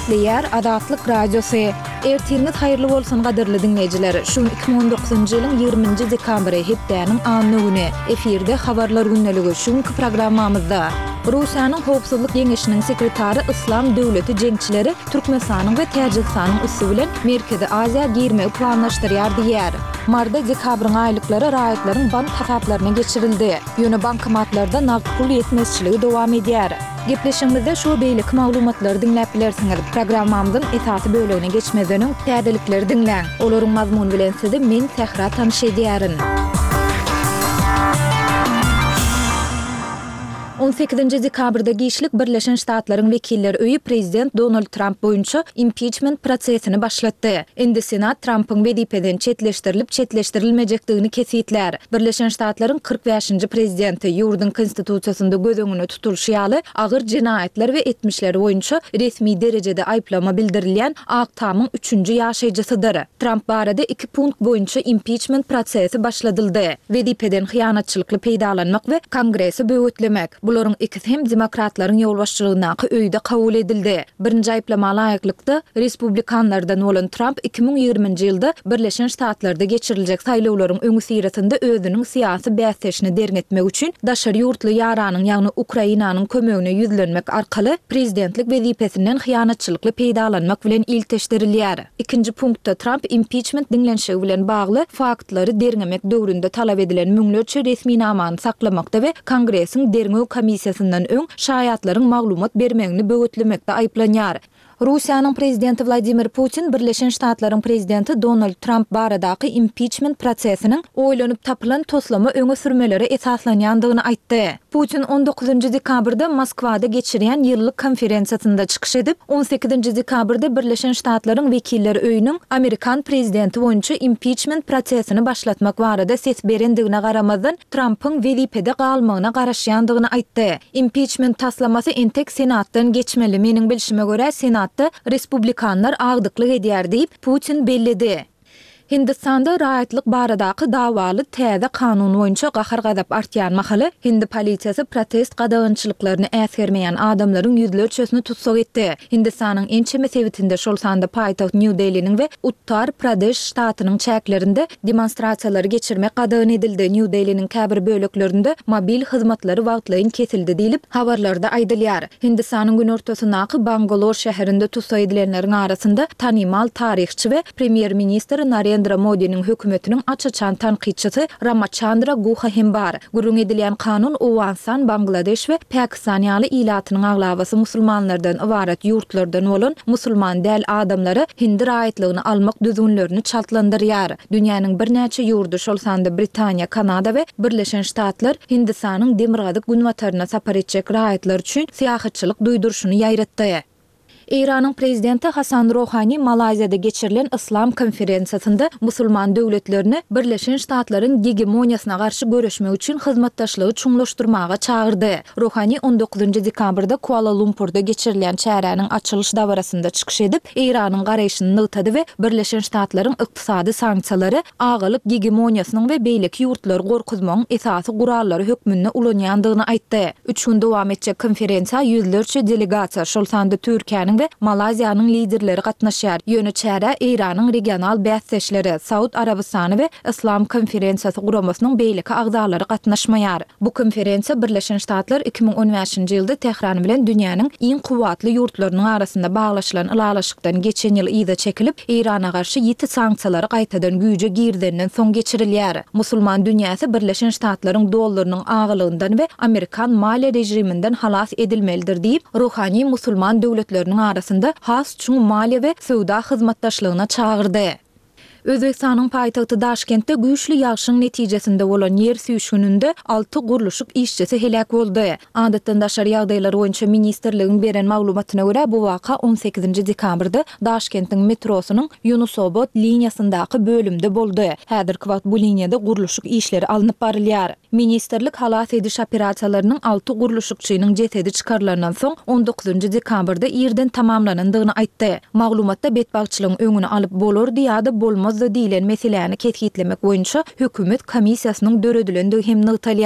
Gepleýär Azatlyk Radiosy. Ertiriňiz haýyrly bolsun gadyrly diňleýjiler! Şu gün 2019-njy ýylyň 20-nji dekabry, hepdäniň anna güni. Efirde Habarlar gündeligi. Şu günki programmamyzda. Russiýanyň Howpsuzlyk Geňeşiniň sekretary Yslam döwleti jeňçileri Türkmenistanyň we Täjigistanyň üsti bilen Merkezi Aziýa girmegi planlaşdyrýar diýýär. Maryda dekabryň aýlyklary raýatlaryň bank hasaplaryna geçirildi. Ýöne bankomatlarda nagt pul ýetmezçiligi dowam edýär. Gepleşigimizde şu we beýleki maglumatlary diňläp bilersiňiz. Programmamyzyň esasy bölegine geçmezden öň täzelikleri diňläň. Olaryň mazmuny bilen sizi men Sähra tanyş edýärin. On sekizinji dekabrda giçlik Birleşen Ştatlaryň Wekiller öýi prezident Donald Tramp boýunça impiçment prosesini başlatdy. Indi Senat Trampyň wezipeden çetleşdirilip-çetleşdirilmejekdigini kesgitlär. Birleşen Ştatlaryň 45-nji prezidenti, ýurduň Konstitusiýasynda göz öňünde tutulyşy ýaly, agyr jenaýatlar we etmişleri boýunça resmi derejede aýyplama bildirilýän Ak Tamyň üçünji ýaşaýjysydyr. Tramp barada iki punkt boýunça impiçment prosesi başladyldy, wezipeden hyýanatçylykly peýdalanmak we Kongresi böwetlemek. Bularyň ikisi hem demokratlaryň ýolbaşçylygyndaky öýde kabul edildi. Birinji aýyplama laýyklykda, respublikanlardan bolan Tramp 2020-nji ýylda Birleşen Ştatlarda geçiriljek saýlawlaryň öňüsyrasynda özüniň syýasy bäsdeşini derňetmek üçin daşary ýurtly ýaranyň, ýagny Ukrainanyň kömegine ýüzlenmek arkaly prezidentlik wezipesinden hyýanatçylykly peýdalanmak bilen ilteşdirilýär. Ikinji punktda Tramp impiçment diňlenişigi bilen bagly faktlary derňemek döwründe talap edilen müňlerçe resminamany saklamakda we Kongresiň derňew komissiýasyndan öň şaýatlaryň maglumat bermegini böwetlemekde aýyplanýar. Russiýanyň prezidenti Wladimir Putin Birleşen Ştatlaryň prezidenti Donald Tramp baradaky impiçment prosesiniň oýlanyp tapylan toslama öňe sürmelere esaslanýandygyny aýtdy. Putin on dokuzynjy dekabrda Moskwada geçirýän ýyllyk konferensiýasynda çykyş edip, on sekizinji dekabrda Birleşen Ştatlaryň Wekiller öýüniň amerikan prezidenti boýunça impiçment prosesini başlatmak barada ses berendigine garamazdan, Trampyň wezipede galmagyna garaşýandygyny aýtdy. Impiçment taslamasy entek Senatdan geçmeli, meniň bilşime görä, Senatda respublikanlar agdyklyk edýär diýip, Putin belledi. Hindistanda raýatlyk baradaky dawaly täze kanun boýunça gahar-gazap artýan mahaly, hindi polisiýasy protest gadagançylyklaryny äsgermeýän adamlaryň ýüzlerçesini tussag etdi. Hindistanyň ençeme sebitinde, şol sanda paýtagt Nýu-Deliniň we Uttar-Pradeş ştatynyň çäklerinde demonstrasiýalary geçirmek gadagan edildi, Nýu-Deliniň käbir böleklerinde mobil hyzmatlary wagtlaýyn kesildi diýlip, habarlarda aýdylýar. Hindistanyň günortasyndaky Bangalor şäherinde tussag edilenleriň arasynda tanymal taryhçy we premýer-ministr Narendra Modiniň hökümetiniň aç-açan tankytçysy Ramaçandra Guha hem bar. Gürrüň edilýän kanun Owganystan, Bangladeş we Pakistan ýaly ilatynyň aglabasy musulmanlardan ybarat ýurtlardan bolan musulman däl adamlara hindi raýatlygyny almak düzgünlerini çaltlandyrýar. Dünýäniň birnäçe ýurdy, şol sanda Britaniýa, Kanada we Birleşen Ştatlar Hindistanyň demirgazyk-günbataryna sapar etjek raýatlar üçin syýahatçylyk duýduryşyny ýaýratdy. Eýranyň prezidenti Hasan Rohani Malaýziýada geçirilen Yslam konferensiýasynda musulman döwletlerini Birleşen Ştatlaryň gegemoniýasyna garşy göreşmek üçin hyzmatdaşlygy çuňlaşdyrmaga çagyrdy. Rohani on dokuzynjy dekabrda Kuala-Lumpurda geçirilýän çäräniň açylyş dabarasynda çykyş edip, Eýranyň garaýşyny nygtady we Birleşen Ştatlaryň ykdysady sanksiýalary agalyk gegemoniýasynyň we beýleki ýurtlary gorkuzmagyň esasy gurallary hökmünde ulanýandygyny aýtdy. Üç gün dowam etjek konferensiýa ýüzlerçe delegasiýa, şol sanda Türkiýäniň we Malaýziýanyň liderleri gatnaşýar. Ýöne çärä Eýranyň regional bäsdeşleri, Saud Arabystany we Yslam konferensiýasy guramasynyň beýleki agzalary gatnaşmaýar. Bu konferensiýa Birleşen Ştatlar 2015-nji ýylda Tähran bilen dünýäniň iň kuwwatly ýurtlarynyň arasynda baglaşylan ylalaşykdan geçen ýyl yza çekilip, Eýrana garşy ýiti sanksiýalary gaýtadan güýje girizenden soň geçirilýär. Musulman dünýäsi Birleşen Ştatlaryň dollarynyň agylygyndan we amerikan maliýe režiminden halas edilmelidir diýip, Ruhani musulman döwletleriniň arasynda has çuň maliýe we söwda hyzmatdaşlygyna çagyrdy. Özbegistanyň paýtagty Daşkentde güýçli ýagşyň netijesinde bolan ýer süýşgüninde alty gurluşyk işçisi heläk boldy. Adatdan daşary ýagdaýlar boýunça ministrligiň beren maglumatyna görä, bu waka on sekizinji dekabrda Daşkentiň metrosynyň Ýunusobod liniýasyndaky bölümde boldy. Häzirki wagt bu liniýada gurluşyk işleri alnyp barylýar. Ministrlik halas ediş operasiýalarynyň alty gurluşykçynyň jesedi çykarylandan soň, on dokuzynjy dekabrda irden tamamlanandygyny aýtdy. Maglumatda betbagtçylygyň öňüni alyp bolardy ýa-da bolmazdy diýlen meseläni kesgitlemek boýunça hökümet komissiýasynyň döredilendigi hem nygtalýar.